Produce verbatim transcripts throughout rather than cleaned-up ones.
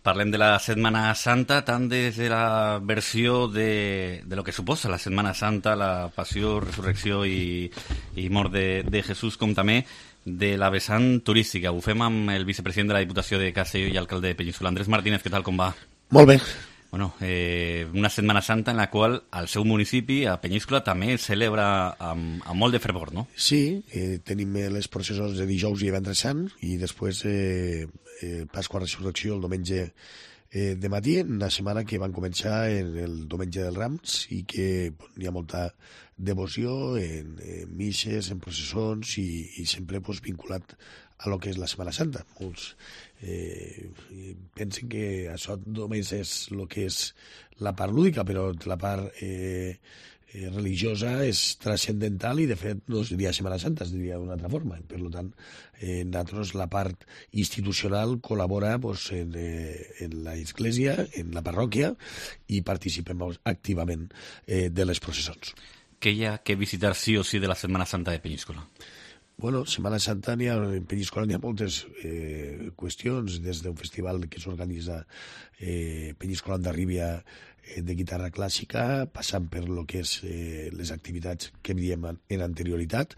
Parlem de la Setmana Santa, tant des de la versió de, de lo que suposa la Setmana Santa, la passió, resurrecció i, i mort de, de Jesús, com també de la vessant turística. Ho fem amb el vicepresident de la Diputació de Castelló i alcalde de Peníscola. Andrés Martínez, què tal, com va? Molt bé. Bueno, eh, una Setmana Santa en la qual al seu municipi, a Peníscola, també es celebra amb, amb molt de fervor, no? Sí, eh, tenim les processons de dijous i divendres sant i després eh, eh, Pasqua Resurrecció el diumenge eh, de matí, una setmana que van començar en el diumenge dels Rams i que bon, hi ha molta devoció en, en misses, en processons i, i sempre pues, vinculat a lo que és la Setmana Santa. Molts eh, pensen que això només és el que és la part lúdica, però la part eh, eh, religiosa és transcendental i, de fet, no es diria Setmana Santa, es diria d'una altra forma. Per tant, eh, nosaltres la part institucional col·labora pues, en, eh, en l'església, en la parròquia, i participem activament eh, de les processons. Què hi ha que visitar sí o sí de la Setmana Santa de Peníscola? Bueno, Setmana Santa n'hi ha, en Peníscola n'hi ha moltes eh, qüestions, des d'un festival que s'organitza eh, Peníscola Ondarribia eh, de guitarra clàssica, passant per lo que és eh, les activitats que diem en anterioritat,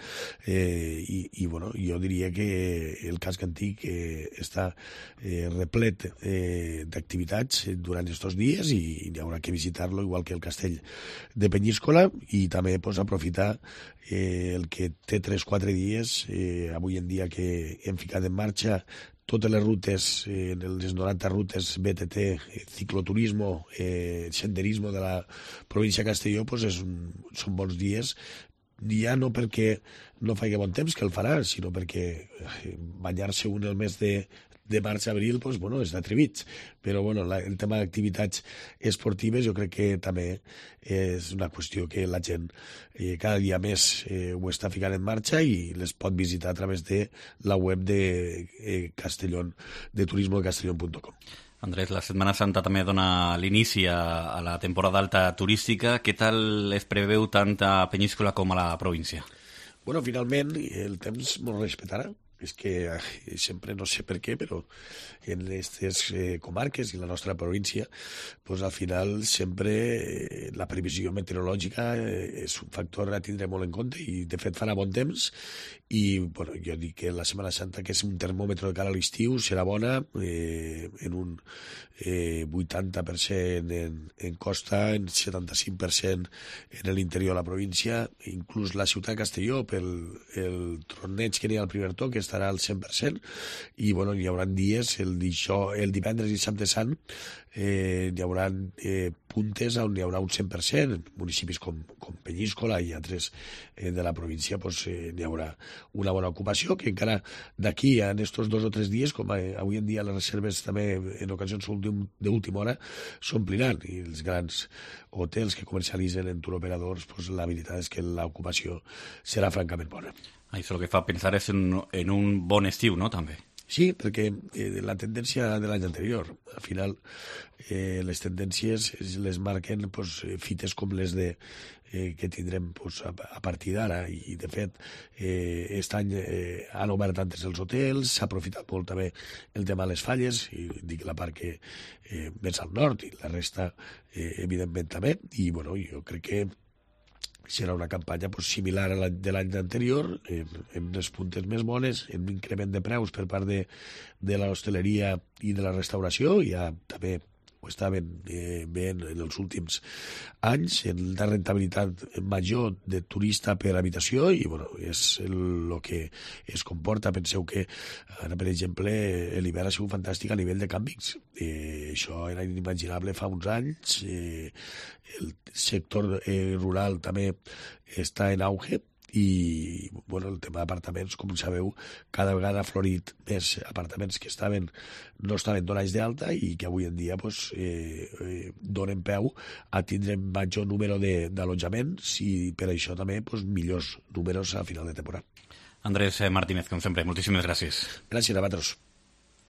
eh, i, i bueno, jo diria que el casc antic eh, està eh, replet eh, d'activitats durant aquests dies i, i n'hi haurà que visitar-lo, igual que el castell de Peníscola, i també pues, aprofitar eh, el que té tres o quatre dies, eh, avui en dia que hem ficat en marxa totes les rutes, eh, les noranta rutes B T T, eh, cicloturismo, eh, senderismo de la província de Castelló, pues és un, són bons dies, ja no perquè no faci bon temps, que el farà, sinó perquè eh, banyar-se un el mes de de març-abril, doncs, bueno, és d'atrevits. Però, bueno, la, el tema d'activitats esportives jo crec que també és una qüestió que la gent eh, cada dia més eh, ho està ficant en marxa i les pot visitar a través de la web de eh, Castellón, de turismo de castellón punt com. Andrés, la Setmana Santa també dona l'inici a, a la temporada alta turística. Què tal es preveu tant a Peníscola com a la província? Bueno, finalment el temps m'ho respectarà. És que eh, sempre, no sé per què, però en aquestes eh, comarques i la nostra província, pues, al final sempre eh, la previsió meteorològica eh, és un factor a tindre molt en compte i de fet farà bon temps i bueno, jo dic que la Setmana Santa, que és un termòmetre de cara a l'estiu, serà bona eh, en un eh, vuitanta per cent en, en costa, en setanta-cinc per cent en l'interior de la província, inclús la ciutat de Castelló, pel el torneig que n'hi ha al primer toc, estarà al cent per cent i bueno, hi haurà dies, el, dijó, el divendres i dissabte sant, eh, hi haurà eh, puntes on hi haurà un cent per cent, municipis com, com Peníscola i altres eh, de la província, pues, eh, hi haurà una bona ocupació, que encara d'aquí a estos dos o tres dies, com eh, avui en dia les reserves també en ocasions d'última hora s'ompliran, i els grans hotels que comercialitzen en turoperadors, pues, la veritat és que l'ocupació serà francament bona. Això el que fa pensar és en, en un bon estiu, no?, també. Sí, perquè eh, la tendència de l'any anterior, al final eh, les tendències les marquen pues, fites com les de eh, que tindrem pues, a, a partir d'ara i de fet eh, aquest any eh, han obert antes els hotels, s'ha aprofitat molt també el tema de les falles, i dic la part que eh, més al nord i la resta eh, evidentment també, i bueno, jo crec que serà una campanya pues, similar a la de l'any anterior, en, en les puntes més bones, en un increment de preus per part de, de l'hostaleria i de la restauració, i ja també ho estaven eh, veient en els últims anys, en la rentabilitat major de turista per habitació, i bueno, és el que es comporta. Penseu que ara, per exemple, l'hivern ha sigut fantàstic a nivell de càmpings. Eh, això era inimaginable fa uns anys. Eh, el sector eh, rural també està en auge, i bueno, el tema d'apartaments, com sabeu, cada vegada ha florit més apartaments que estaven no estaven donats d'alta i que avui en dia pues, eh, eh, donen peu a tindre major número d'allotjaments i per això també pues, millors números a final de temporada. Andrés Martínez, com sempre, moltíssimes gràcies. Gràcies a vosaltres.